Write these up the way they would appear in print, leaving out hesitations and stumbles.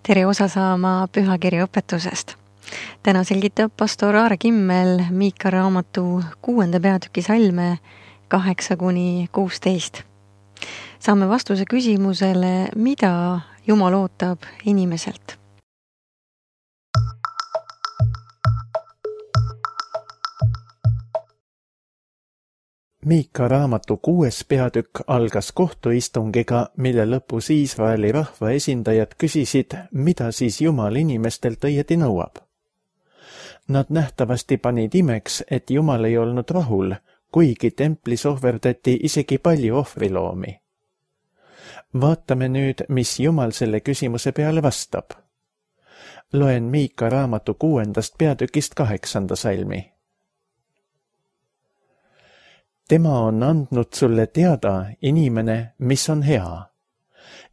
Tere osa saama pühakirja õpetusest. Täna selgitab pastor Aare Kimmel Miika raamatu 6. peatüki salme 8-16. Saame vastuse küsimusele, mida Jumal ootab inimeselt. Miika raamatu 6. peatükk algas kohtuistungiga, mille lõpus Iisraeli rahva esindajad küsisid, mida siis Jumal inimestelt õieti nõuab. Nad nähtavasti panid imeks, et Jumal ei olnud rahul, kuigi templis ohverdati isegi palju ohvriloomi. Vaatame nüüd, mis Jumal selle küsimuse peale vastab. Loen Miika raamatu 6. peatükist 8. salmi. Tema on andnud sulle teada, inimene, mis on hea.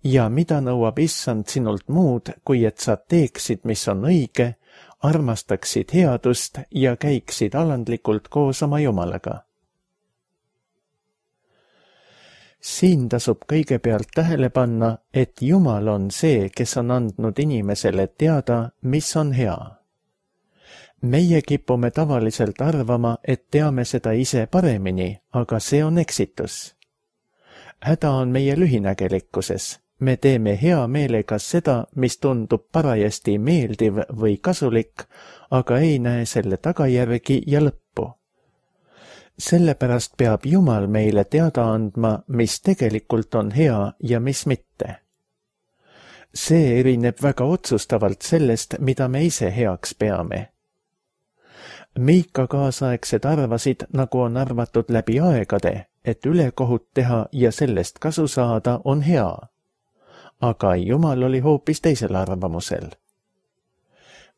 Ja mida nõuab Issand sinult muud, kui et sa teeksid, mis on õige, armastaksid headust ja käiksid alandlikult koos oma Jumalaga. Siin tasub kõigepealt tähele panna, et Jumal on see, kes on andnud inimesele teada, mis on hea. Meie kipume tavaliselt arvama, et teame seda ise paremini, aga see on eksitus. Häda on meie lühinägelikkuses. Me teeme hea meelega seda, mis tundub parajasti meeldiv või kasulik, aga ei näe selle tagajärgi ja lõppu. Sellepärast peab Jumal meile teada andma, mis tegelikult on hea ja mis mitte. See erineb väga otsustavalt sellest, mida me ise heaks peame. Miika kaasaegsed arvasid, nagu on arvatud läbi aegade, et ülekohut teha ja sellest kasu saada on hea. Aga Jumal oli hoopis teisel arvamusel.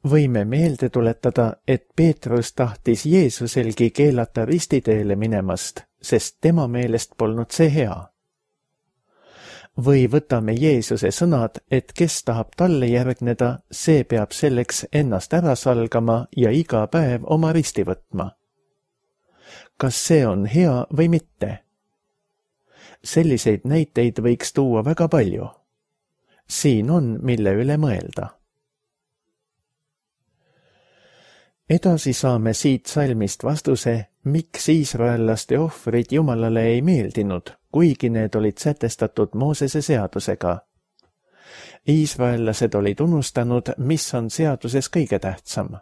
Võime meelde tuletada, et Peetrus tahtis Jeesuselgi keelata ristiteele minemast, sest tema meelest polnud see hea. Või võtame Jeesuse sõnad, et kes tahab talle järgneda, see peab selleks ennast ära salgama ja iga päev oma risti võtma. Kas see on hea või mitte? Selliseid näiteid võiks tuua väga palju. Siin on, mille üle mõelda. Edasi saame siit salmist vastuse, miks iisraellaste ohvrid Jumalale ei meeldinud, kuigi need olid sätestatud Moosese seadusega. Iisraellased olid unustanud, mis on seaduses kõige tähtsam.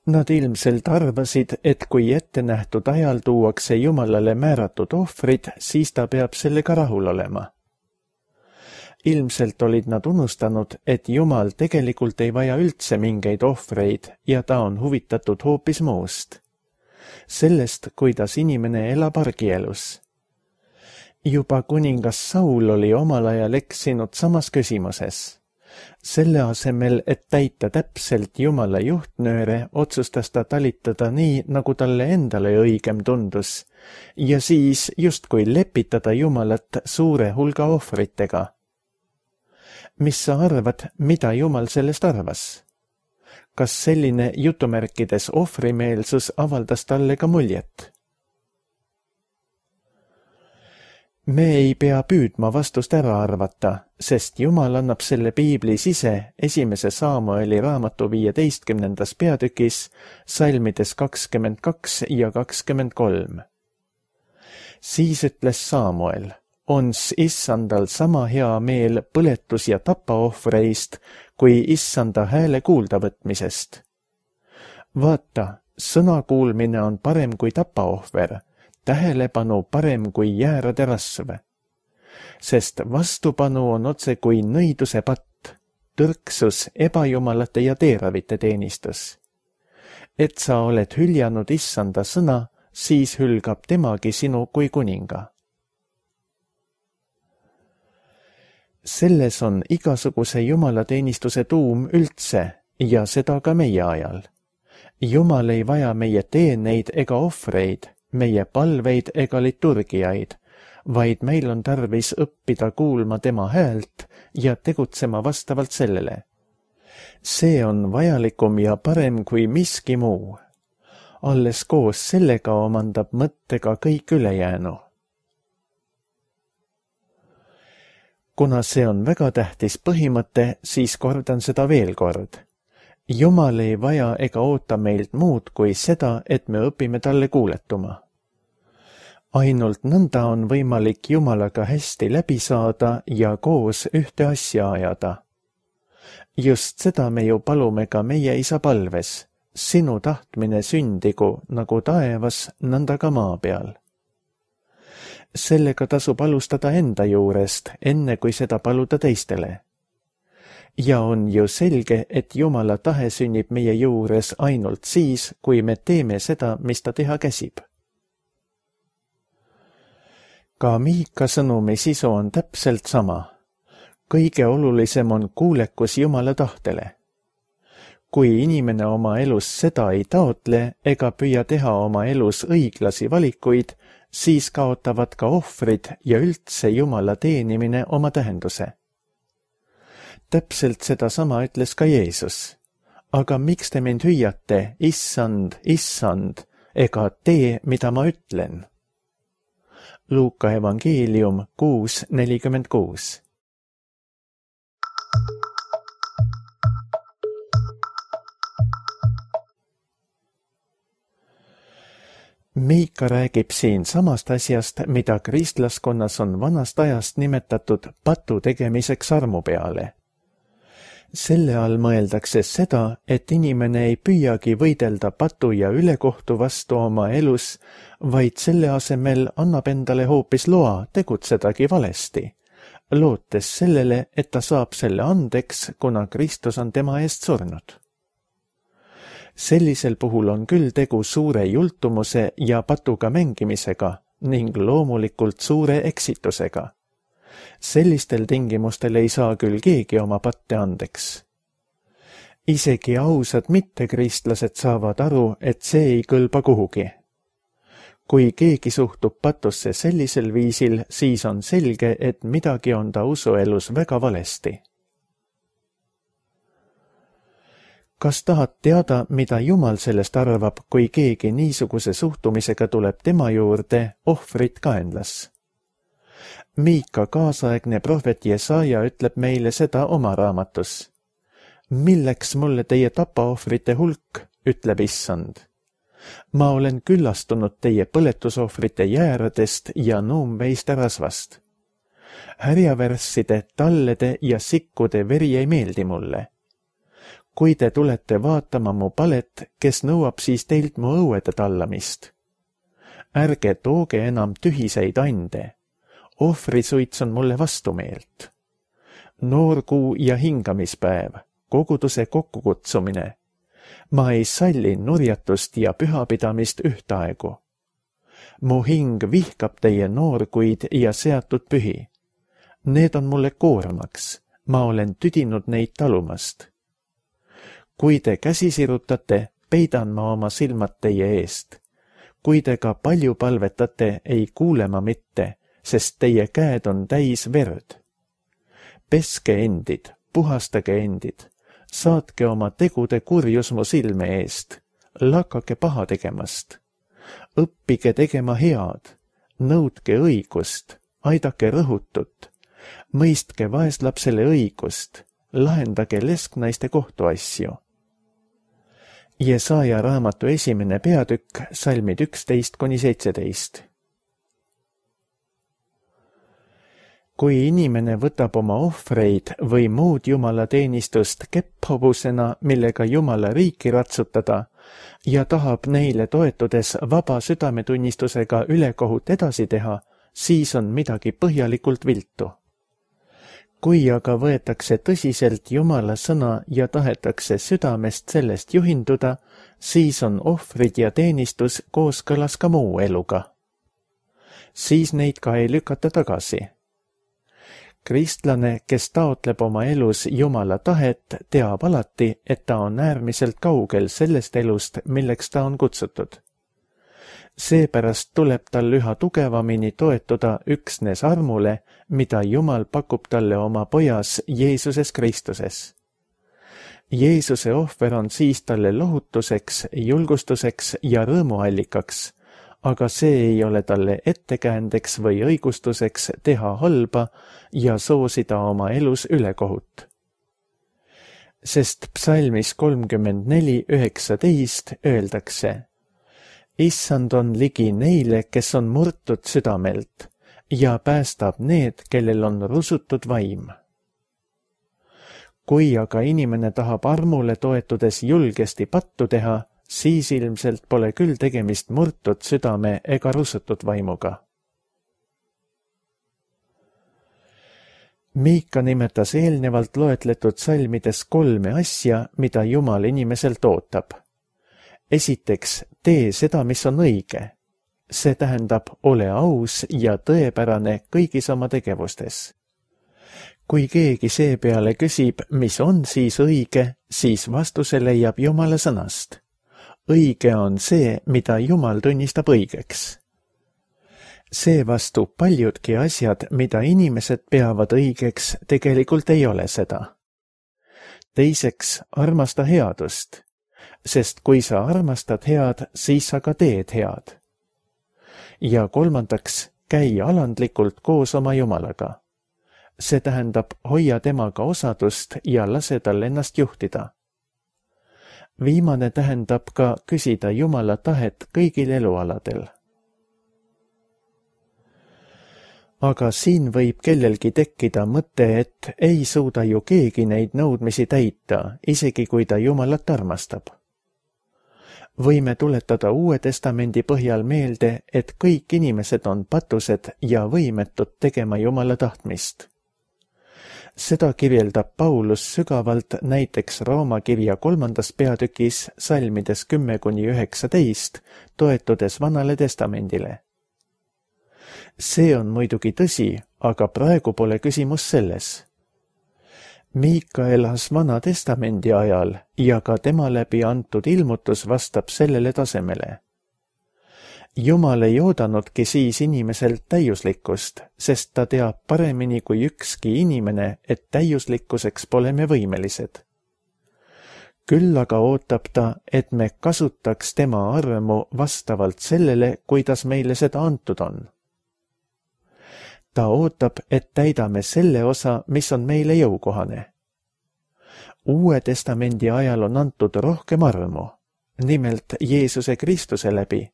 Nad ilmselt arvasid, et kui ette nähtud ajal tuuakse Jumalale määratud ohvrid, siis ta peab sellega rahul olema. Ilmselt olid nad unustanud, et Jumal tegelikult ei vaja üldse mingeid ohvreid ja ta on huvitatud hoopis muust. Sellest, kuidas inimene elab argielus. Juba kuningas Saul oli omal ajal eksinud samas küsimuses. Selle asemel, et täita täpselt Jumala juhtnööre, otsustas ta talitada nii, nagu talle endale õigem tundus, ja siis justkui lepitada Jumalat suure hulga ohvritega. Mis sa arvad, mida Jumal sellest arvas? Kas selline jutumärkides ohvrimeelsus avaldas talle ka muljet? Me ei pea püüdma vastust ära arvata, sest Jumal annab selle piiblis ise 1. Saamueli raamatu 15. peatükis, salmides 22 ja 23. Siis ütles Saamuel, ons Issandal sama hea meel põletus- ja tapaohvreist, kui Issanda hääle kuulda võtmisest. Vaata, sõna kuulmine on parem kui tapaohver, tähelepanu parem kui jäärade rasv. Sest vastupanu on otse kui nõiduse patt, tõrksus ebajumalate ja teeravite teenistus. Et sa oled hüljanud Issanda sõna, siis hülgab temagi sinu kui kuninga. Selles on igasuguse jumalateenistuse tuum üldse ja seda ka meie ajal. Jumal ei vaja meie teeneid ega ohvreid, meie palveid ega liturgiaid, vaid meil on tarvis õppida kuulma tema häält ja tegutsema vastavalt sellele. See on vajalikum ja parem kui miski muu. Alles koos sellega omandab mõttega kõik ülejäänu. Kuna see on väga tähtis põhimõte, siis kordan seda veel kord. Jumal ei vaja ega oota meilt muud kui seda, et me õpime talle kuuletuma. Ainult nõnda on võimalik Jumalaga hästi läbi saada ja koos ühte asja ajada. Just seda me ju palume ka meie isa palves. Sinu tahtmine sündigu nagu taevas, nõnda ka maa peal. Sellega tasub alustada enda juurest, enne kui seda paluda teistele. Ja on ju selge, et Jumala tahe sünnib meie juures ainult siis, kui me teeme seda, mis ta teha käsib. Ka Miika sõnumi sisu on täpselt sama. Kõige olulisem on kuulekus Jumala tahtele. Kui inimene oma elus seda ei taotle ega püüa teha oma elus õiglasi valikuid, siis kaotavad ka ohvrid ja üldse Jumala teenimine oma tähenduse. Täpselt seda sama ütles ka Jeesus. Aga miks te mind hüüate, issand, issand, ega tee, mida ma ütlen? Luuka evangeelium 6:46. Miika räägib siin samast asjast, mida kristlaskonnas on vanast ajast nimetatud patu tegemiseks armu peale. Selle all mõeldakse seda, et inimene ei püüagi võidelda patu ja ülekohtu vastu oma elus, vaid selle asemel annab endale hoopis loa tegutsedagi valesti, lootes sellele, et ta saab selle andeks, kuna Kristus on tema eest surnud. Sellisel puhul on küll tegu suure jultumuse ja patuga mängimisega ning loomulikult suure eksitusega. Sellistel tingimustel ei saa küll keegi oma patte andeks. Isegi ausad mittekristlased saavad aru, et see ei kõlba kuhugi. Kui keegi suhtub patusse sellisel viisil, siis on selge, et midagi on ta usuelus väga valesti. Kas tahad teada, mida Jumal sellest arvab, kui keegi niisuguse suhtumisega tuleb tema juurde ohvrit kaenlas? Miika kaasaegne prohvet Jesaja ütleb meile seda oma raamatus. Milleks mulle teie tapaohvrite hulk, ütleb issand. Ma olen küllastunud teie põletusohvrite jääradest ja nuumveiste rasvast. Härjavärsside, tallede ja sikkude veri ei meeldi mulle. Kui te tulete vaatama mu palet, kes nõuab siis teilt mu õuede tallamist? Ärge tooge enam tühiseid ande. Ohvrisuits on mulle vastumeelt. Noorkuu ja hingamispäev, koguduse kokkukutsumine. Ma ei salli nurjatust ja pühapidamist ühtaegu. Mu hing vihkab teie noorkuid ja seatud pühi. Need on mulle koormaks, ma olen tüdinud neid talumast. Kui te käsi sirutate, peidan ma oma silmad teie eest. Kui te ka palju palvetate, ei kuule ma mitte, sest teie käed on täis verd. Peske endid, puhastage endid, saatke oma tegude kurjus mu silme eest, lakake paha tegemast. Õppige tegema head, nõudke õigust, aidake rõhutut, mõistke vaeslapsele õigust, lahendage lesknaiste kohtuasju. Jesaja raamatu 1. peatükk, salmid 11-17. Kui inimene võtab oma ohvreid või muud Jumala teenistust kepphobusena, millega Jumala riiki ratsutada, ja tahab neile toetudes vaba südametunnistusega ülekohut edasi teha, siis on midagi põhjalikult viltu. Kui aga võetakse tõsiselt Jumala sõna ja tahetakse südamest sellest juhinduda, siis on ohvrid ja teenistus kooskõlas ka muu eluga. Siis neid ka ei lükata tagasi. Kristlane, kes taotleb oma elus Jumala tahet, teab alati, et ta on äärmiselt kaugel sellest elust, milleks ta on kutsutud. Seepärast tuleb tal üha tugevamini toetuda üksnes armule, mida Jumal pakub talle oma pojas Jeesuses Kristuses. Jeesuse ohver on siis talle lohutuseks, julgustuseks ja rõõmuallikaks, aga see ei ole talle ettekäändeks või õigustuseks teha halba ja soosida oma elus ülekohut. Sest psalmis 34:19 öeldakse: Issand on ligi neile, kes on murtud südamelt ja päästab need, kellel on rusutud vaim. Kui aga inimene tahab armule toetudes julgesti pattu teha, siis ilmselt pole küll tegemist murtud südame ega rusutud vaimuga. Miika nimetas eelnevalt loetletud salmides 3 asja, mida Jumal inimeselt ootab. Esiteks, tee seda, mis on õige. See tähendab, ole aus ja tõepärane kõigis oma tegevustes. Kui keegi seepeale küsib, mis on siis õige, siis vastuse leiab Jumala sõnast. Õige on see, mida Jumal tunnistab õigeks. Seevastu paljudki asjad, mida inimesed peavad õigeks, tegelikult ei ole seda. Teiseks, armasta headust, sest kui sa armastad head, siis sa ka teed head. Ja kolmandaks, käi alandlikult koos oma Jumalaga. See tähendab, hoia temaga osadust ja lase tal ennast juhtida. Viimane tähendab ka küsida Jumala tahet kõigil elualadel. Aga siin võib kellelgi tekkida mõte, et ei suuda ju keegi neid nõudmisi täita, isegi kui ta Jumalat armastab. Võime tuletada Uue Testamendi põhjal meelde, et kõik inimesed on patused ja võimetud tegema Jumala tahtmist. Seda kirjeldab Paulus sügavalt näiteks Rooma kirja 3. peatükis salmides 10-19, toetudes Vanale Testamendile. See on muidugi tõsi, aga praegu pole küsimus selles. Miika elas Vana Testamendi ajal ja ka tema läbi antud ilmutus vastab sellele tasemele. Jumal ei oodanudki siis inimeselt täiuslikkust, sest ta teab paremini kui ükski inimene, et täiuslikkuseks pole me võimelised. Küll aga ootab ta, et me kasutaks tema armu vastavalt sellele, kuidas meile seda antud on. Ta ootab, et täidame selle osa, mis on meile jõukohane. Uue Testamendi ajal on antud rohkem armu, nimelt Jeesuse Kristuse läbi,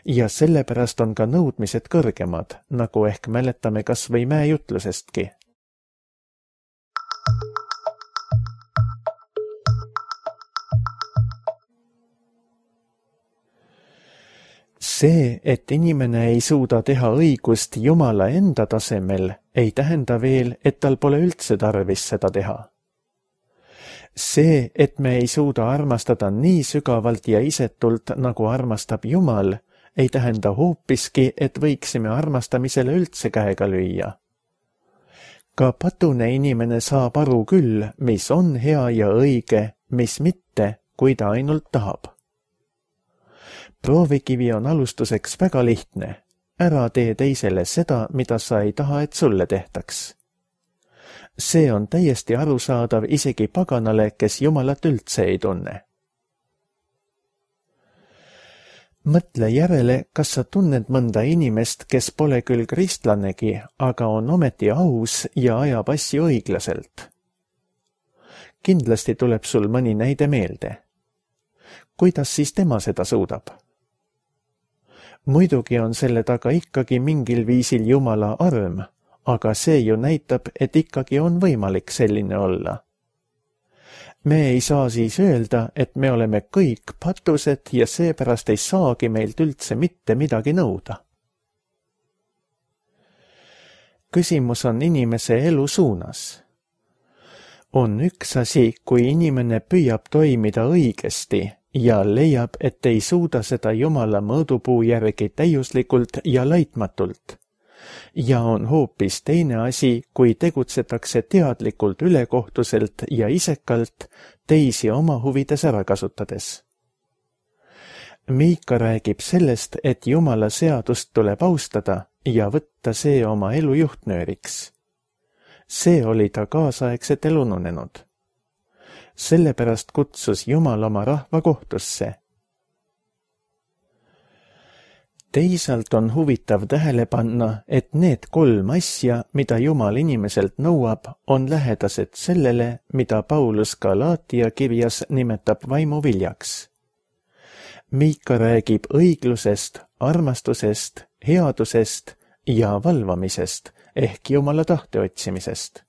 ja sellepärast on ka nõudmised kõrgemad, nagu ehk mäletame kas või mäejutlusestki. See, et inimene ei suuda teha õigust Jumala enda tasemel, ei tähenda veel, et tal pole üldse tarvis seda teha. See, et me ei suuda armastada nii sügavalt ja isetult, nagu armastab Jumal, ei tähenda hoopiski, et võiksime armastamisele üldse käega lüüa. Ka patune inimene saab aru küll, mis on hea ja õige, mis mitte, kui ta ainult tahab. Proovikivi on alustuseks väga lihtne. Ära tee teisele seda, mida sa ei taha, et sulle tehtaks. See on täiesti arusaadav isegi paganale, kes Jumalat üldse ei tunne. Mõtle järele, kas sa tunned mõnda inimest, kes pole küll kristlanegi, aga on ometi aus ja ajab asju õiglaselt. Kindlasti tuleb sul mõni näide meelde. Kuidas siis tema seda suudab? Muidugi on selle taga ikkagi mingil viisil Jumala arm, aga see ju näitab, et ikkagi on võimalik selline olla. Me ei saa siis öelda, et me oleme kõik patused ja seepärast ei saagi meilt üldse mitte midagi nõuda. Küsimus on inimese elu suunas. On üks asi, kui inimene püüab toimida õigesti ja leiab, et ei suuda seda Jumala mõõdupuu järgi täiuslikult ja laitmatult. Ja on hoopis teine asi, kui tegutsetakse teadlikult ülekohtuselt ja isekalt teisi oma huvides ära kasutades. Miika räägib sellest, et Jumala seadust tuleb austada ja võtta see oma elu juhtnööriks. See oli ta kaasaegset elu nunenud. Sellepärast kutsus Jumal oma rahva kohtusse. Teisalt on huvitav tähele panna, et need 3 asja, mida Jumal inimeselt nõuab, on lähedased sellele, mida Paulus Galaatia kirjas nimetab vaimuviljaks. Miika räägib õiglusest, armastusest, headusest ja valvamisest ehk Jumala tahte otsimisest.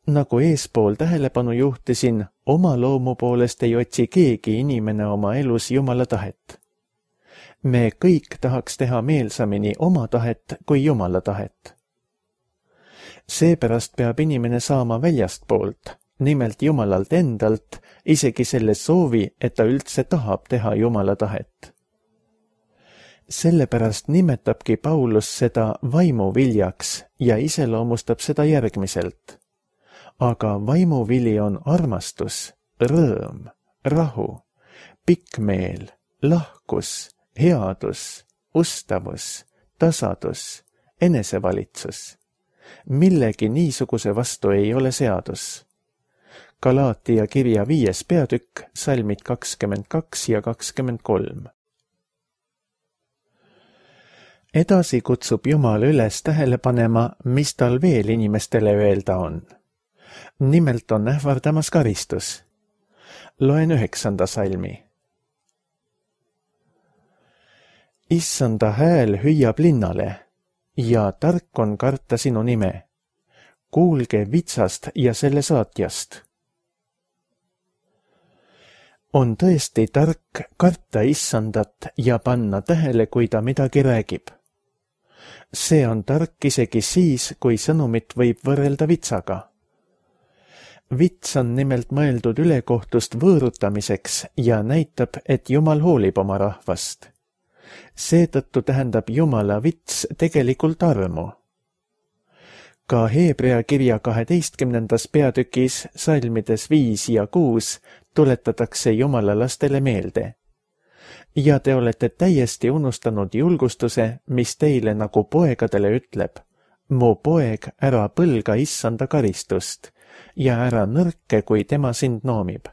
Nagu eespool tähelepanu juhtisin, oma loomu poolest ei otsi keegi inimene oma elus Jumala tahet. Me kõik tahaks teha meelsamini oma tahet kui Jumala tahet. Seepärast peab inimene saama väljastpoolt, nimelt Jumalalt endalt, isegi selle soovi, et ta üldse tahab teha Jumala tahet. Sellepärast nimetabki Paulus seda vaimuviljaks ja iseloomustab seda järgmiselt. Aga vaimuvili on armastus, rõõm, rahu, pikkmeel, lahkus, headus, ustavus, tasadus, enesevalitsus. Millegi niisuguse vastu ei ole seadus. Galaatia kirja 5. peatükk, salmid 22 ja 23. Edasi kutsub Jumal üles tähele panema, mis tal veel inimestele öelda on. Nimelt on ähvardamas karistus. Loen 9. salmi. Issanda hääl hüüab linnale ja tark on karta sinu nime. Kuulge vitsast ja selle saatjast. On tõesti tark karta Issandat ja panna tähele, kui ta midagi räägib. See on tark isegi siis, kui sõnumit võib võrrelda vitsaga. Vits on nimelt mõeldud ülekohtust võõrutamiseks ja näitab, et Jumal hoolib oma rahvast. Seetõttu tähendab Jumala vits tegelikult armu. Ka Hebrea kirja 12. peatükis, salmides 5 ja 6, tuletatakse Jumala lastele meelde. Ja te olete täiesti unustanud julgustuse, mis teile nagu poegadele ütleb. Mu poeg, ära põlga Issanda karistust ja ära nõrke, kui tema sind noomib.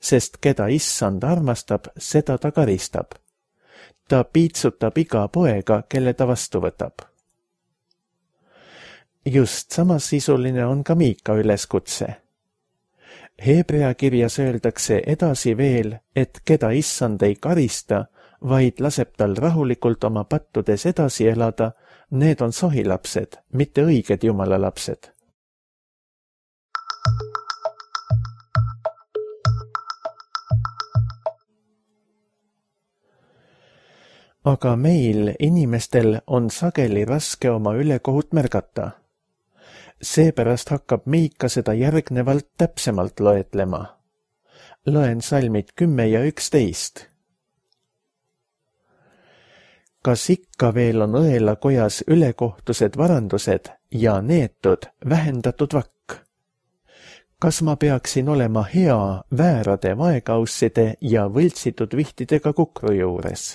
Sest keda Issand armastab, seda ta karistab. Ta piitsutab iga poega, kelle ta vastu võtab. Just samasisuline on ka Miika üleskutse. Hebrea kirjas öeldakse edasi veel, et keda Issand ei karista, vaid laseb tal rahulikult oma pattudes edasi elada, need on sohilapsed, mitte õiged Jumala lapsed. Aga meil, inimestel, on sageli raske oma ülekohut märgata. Seepärast hakkab Miika seda järgnevalt täpsemalt loetlema. Loen salmid 10 ja 11. Kas ikka veel on õelakojas ülekohtused varandused ja neetud, vähendatud vakk? Kas ma peaksin olema hea väärade vaekausside ja võltsitud vihtidega kukru juures?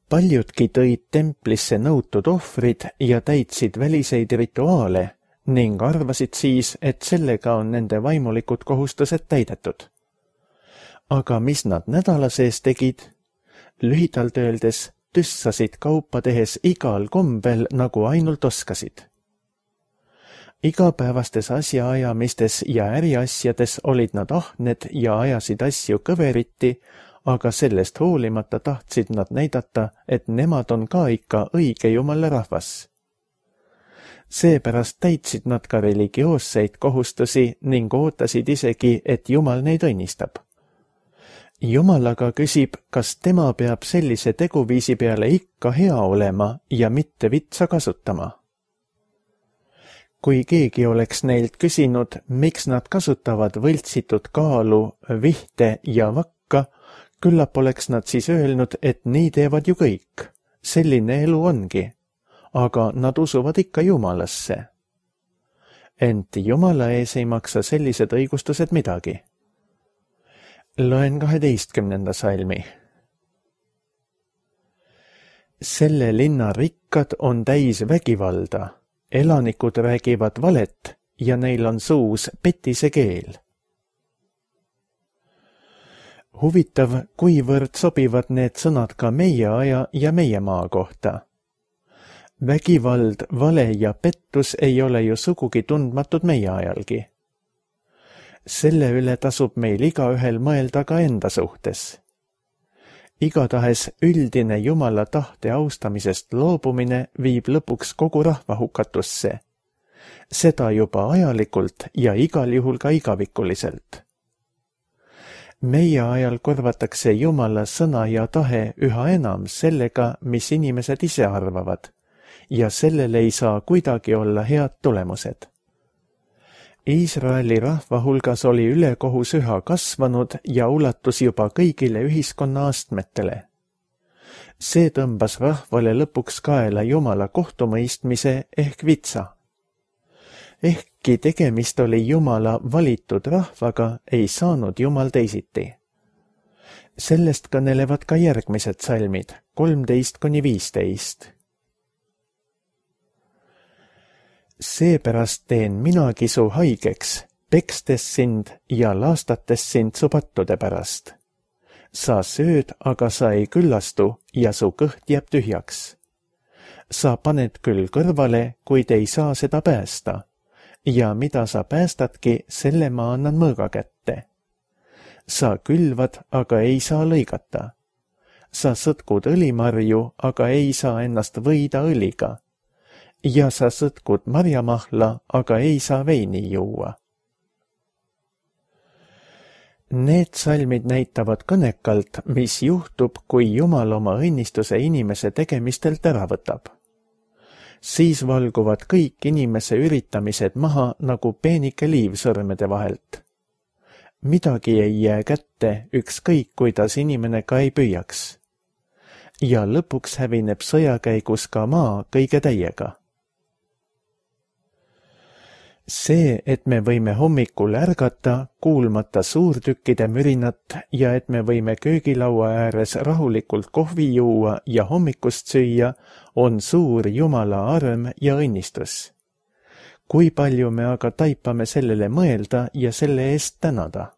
Paljudki tõid templisse nõutud ohvrid ja täitsid väliseid rituaale ning arvasid siis, et sellega on nende vaimulikud kohustused täidetud. Aga mis nad nädala sees tegid? Lühidalt öeldes tüssasid kaupa tehes igal kombel, nagu ainult oskasid. Igapäevastes asjaajamistes ja äriasjades olid nad ahned ja ajasid asju kõveriti, aga sellest hoolimata tahtsid nad näidata, et nemad on ka ikka õige Jumala rahvas. Seepärast täitsid nad ka religioosseid kohustusi ning ootasid isegi, et Jumal neid õnnistab. Jumal aga küsib, kas tema peab sellise teguviisi peale ikka hea olema ja mitte vitsa kasutama. Kui keegi oleks neilt küsinud, miks nad kasutavad võltsitud kaalu, vihte ja vakka, küllap oleks nad siis öelnud, et nii teevad ju kõik. Selline elu ongi. Aga nad usuvad ikka Jumalasse. Ent Jumala ees ei maksa sellised õigustused midagi. Loen 12. salmi. Selle linna rikkad on täis vägivalda. Elanikud räägivad valet ja neil on suus petise keel. Huvitav, kuivõrd sobivad need sõnad ka meie aja ja meie maa kohta. Vägivald, vale ja pettus ei ole ju sugugi tundmatud meie ajalgi. Selle üle tasub meil igaühel mõelda ka enda suhtes. Igatahes üldine Jumala tahte austamisest loobumine viib lõpuks kogu rahva hukatusse. Seda juba ajalikult ja igal juhul ka igavikuliselt. Meie ajal korvatakse Jumala sõna ja tahe üha enam sellega, mis inimesed ise arvavad, ja sellel ei saa kuidagi olla head tulemused. Iisraeli rahva hulgas oli ülekohus üha kasvanud ja ulatus juba kõigile ühiskonna astmetele. See tõmbas rahvale lõpuks kaela Jumala kohtumõistmise ehk vitsa. Ehkki tegemist oli Jumala valitud rahvaga, ei saanud Jumal teisiti. Sellest kõnelevad ka järgmised salmid, 13–15. Seepärast teen minagi su haigeks, pekstes sind ja laastates sind su pattude pärast. Sa sööd, aga sa ei küllastu ja su kõht jääb tühjaks. Sa paned küll kõrvale, kuid ei saa seda päästa. Ja mida sa päästadki, selle ma annan mõõga kätte. Sa külvad, aga ei saa lõigata. Sa sõtkud õlimarju, aga ei saa ennast võida õliga. Ja sa sõtkud marjamahla, aga ei saa veini juua. Need salmid näitavad kõnekalt, mis juhtub, kui Jumal oma õnnistuse inimese tegemistelt ära võtab. Siis valguvad kõik inimese üritamised maha nagu peenike liivsõrmede vahelt. Midagi ei jää kätte, ükskõik kuidas inimene ka ei püüaks. Ja lõpuks hävineb sõja käigus ka maa kõige täiega. See, et me võime hommikul ärgata, kuulmata suurtükkide mürinat ja et me võime köögilaua ääres rahulikult kohvi juua ja hommikust süüa, on suur Jumala arm ja õnnistus. Kui palju me aga taipame sellele mõelda ja selle eest tänada?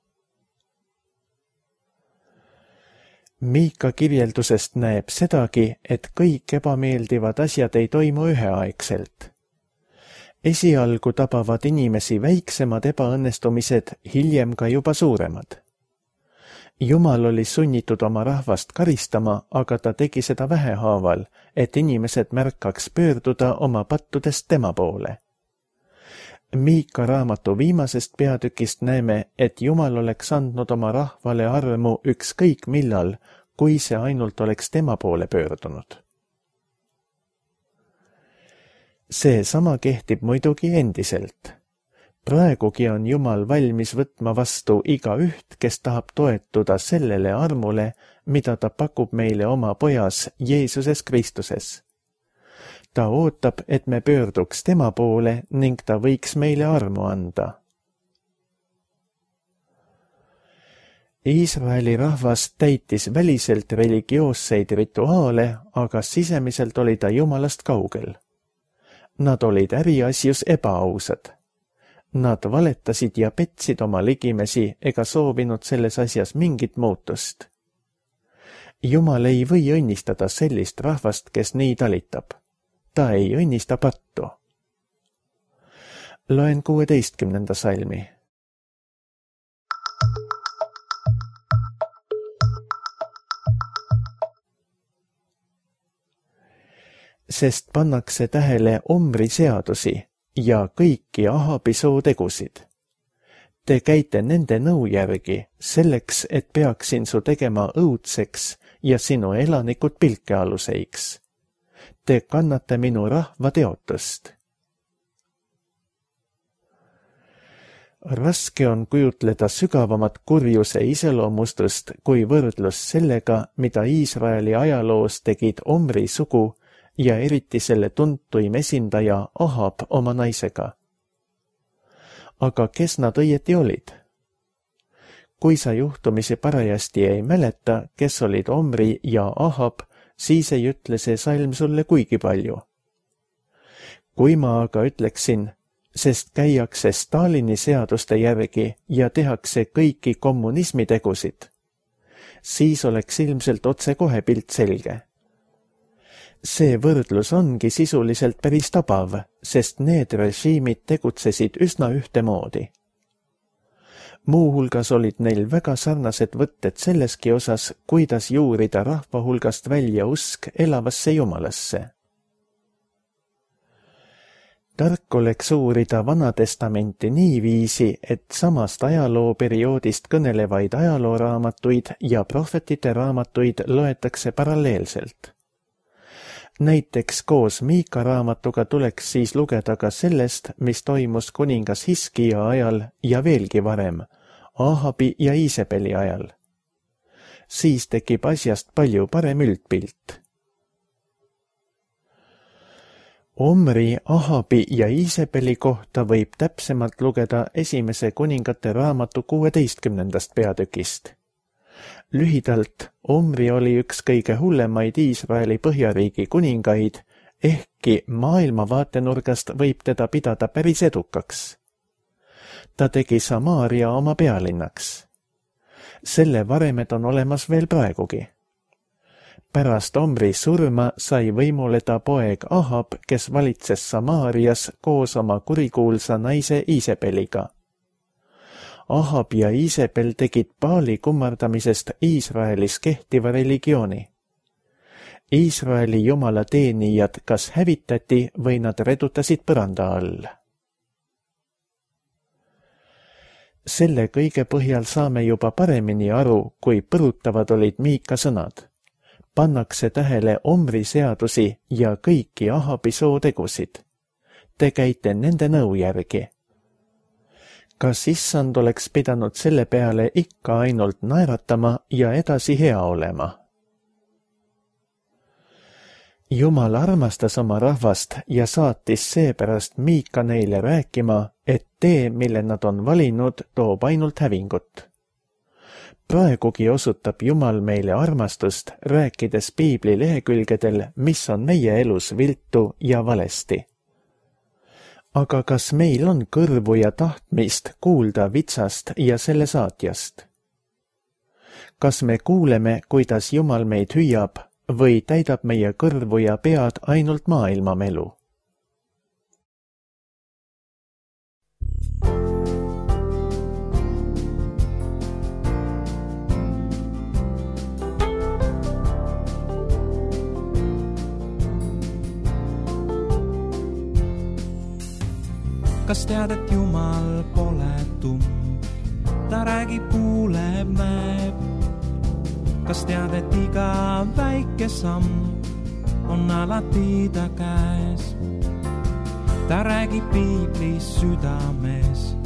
Miika kirjeldusest näeb sedagi, et kõik ebameeldivad asjad ei toimu üheaegselt. Esialgu tabavad inimesi väiksemad ebaõnnestumised, hiljem ka juba suuremad. Jumal oli sunnitud oma rahvast karistama, aga ta tegi seda vähehaaval, et inimesed märkaks pöörduda oma pattudest tema poole. Miika raamatu viimasest peatükist näeme, et Jumal oleks andnud oma rahvale armu ükskõik millal, kui see ainult oleks tema poole pöördunud. See sama kehtib muidugi endiselt. Praegugi on Jumal valmis võtma vastu igaüht, kes tahab toetuda sellele armule, mida ta pakub meile oma pojas Jeesuses Kristuses. Ta ootab, et me pöörduks tema poole ning ta võiks meile armu anda. Iisraeli rahvas täitis väliselt religioosseid rituaale, aga sisemiselt oli ta Jumalast kaugel. Nad olid äriasjus ebaausad. Nad valetasid ja petsid oma ligimesi ega soovinud selles asjas mingit muutust. Jumal ei või õnnistada sellist rahvast, kes nii talitab. Ta ei õnnista pattu. Loen 16. salmi. Sest pannakse tähele Omri seadusi ja kõiki Ahabi sootegusid. Te käite nende nõu järgi, selleks, et peaksin su tegema õudseks ja sinu elanikud pilkealuseiks. Te kannate minu rahva teotust. Raske on kujutleda sügavamat kurjuse iseloomustust kui võrdlus sellega, mida Iisraeli ajaloos tegid Omri sugu ja eriti selle tuntuim esindaja Ahab oma naisega. Aga kes nad õieti olid? Kui sa juhtumisi parajasti ei mäleta, kes olid Omri ja Ahab, siis ei ütle see salm sulle kuigi palju. Kui ma aga ütleksin, sest käiakse Stalini seaduste järgi ja tehakse kõiki kommunismi tegusid, siis oleks ilmselt otsekohe pilt selge. See võrdlus ongi sisuliselt päris tabav, sest need režiimid tegutsesid üsna ühtemoodi. Muuhulgas olid neil väga sarnased võtted selleski osas, kuidas juurida rahva hulgast välja usk elavasse jumalasse. Tark oleks uurida Vanatestamenti niiviisi, et samast ajalooperioodist kõnelevaid ajalooraamatuid ja prohvetite raamatuid loetakse paralleelselt. Näiteks koos Miika raamatuga tuleks siis lugeda ka sellest, mis toimus kuningas Hiskia ajal ja veelgi varem, Ahabi ja Iisebeli ajal. Siis tekib asjast palju parem üldpilt. Omri, Ahabi ja Iisebeli kohta võib täpsemalt lugeda esimese kuningate raamatu 16. peatükist. Lühidalt, Omri oli üks kõige hullemaid Iisraeli põhjariigi kuningaid, ehkki maailmavaatenurgast võib teda pidada päris edukaks. Ta tegi Samaaria oma pealinnaks. Selle varemed on olemas veel praegugi. Pärast Omri surma sai võimule ta poeg Ahab, kes valitses Samaarias koos oma kurikuulsa naise Iisebeliga. Ahab ja Iisebel tegid Baali kummardamisest Iisraelis kehtiva religiooni. Iisraeli jumala teenijad kas hävitati või nad redutasid põranda all. Selle kõige põhjal saame juba paremini aru, kui põrutavad olid Miika sõnad. Pannakse tähele Omri seadusi ja kõiki Ahabi sootegusid. Te käite nende nõu järgi. Kas issand oleks pidanud selle peale ikka ainult naeratama ja edasi hea olema? Jumal armastas oma rahvast ja saatis seepärast Miika neile rääkima, et tee, mille nad on valinud, toob ainult hävingut. Praegugi osutab Jumal meile armastust, rääkides piibli lehekülgedel, mis on meie elus viltu ja valesti. Aga kas meil on kõrvu ja tahtmist kuulda vitsast ja selle saatjast? Kas me kuuleme, kuidas Jumal meid hüüab, või täidab meie kõrvu ja pead ainult maailmamelu? Kas tead, et Jumal pole tumm, ta räägib, kuuleb, näeb. Kas tead, et iga väike samm on alati ta käes? Ta räägib piiblis südames,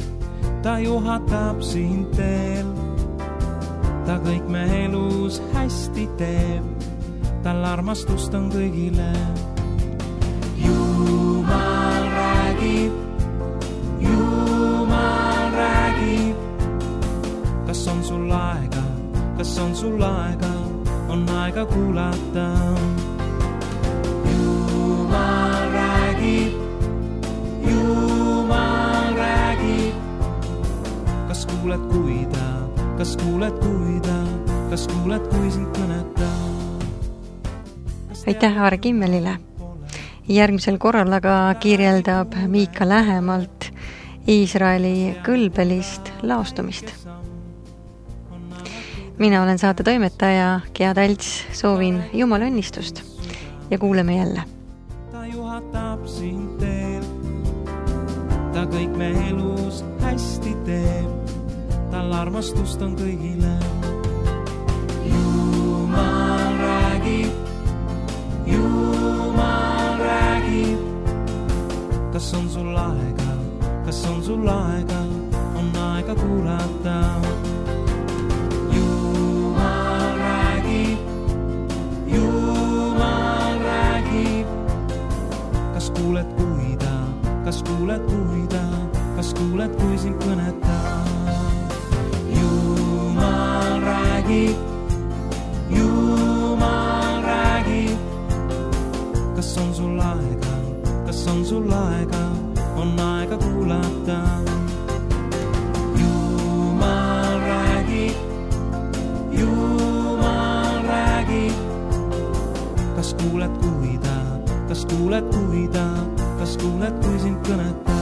ta juhatab sind teel. Ta kõik me elus hästi teeb, tal armastust on kõigile. Jumal räägib, Jumal räägib. Kas on sul aega, kas on sul aega, on aega kuulata? Jumal räägib, Jumal räägib. Kas kuuled, kui ta, kas kuuled, kui ta, kas kuuled, kui sind kõneta? Aitäh Aare Kimmelile. Järgmisel korral aga kirjeldab Miika lähemalt Iisraeli kõlbelist laostumist. Mina olen saate toimetaja Gea Talts, soovin Jumala õnnistust ja kuuleme jälle. Ta juhatab sind teel, ta kõik me elus hästi teeb, tal armastust on kõigile. Jumal räägib, Jumal räägib. Kas on sul aega, kas on sul aega, on aega kuulata? Jumal räägib, Jumal räägib. Kas kuuled, kui ta, kas kuuled, kui ta, kas kuuled, kui sind kõneta? Jumal räägib, Jumal räägib. Kas on sul aega, kas on sul aega, on aega kuulata? Jumal räägib, Jumal kas kuuled, kui ta, kas kuuled, kui sind kõnetab?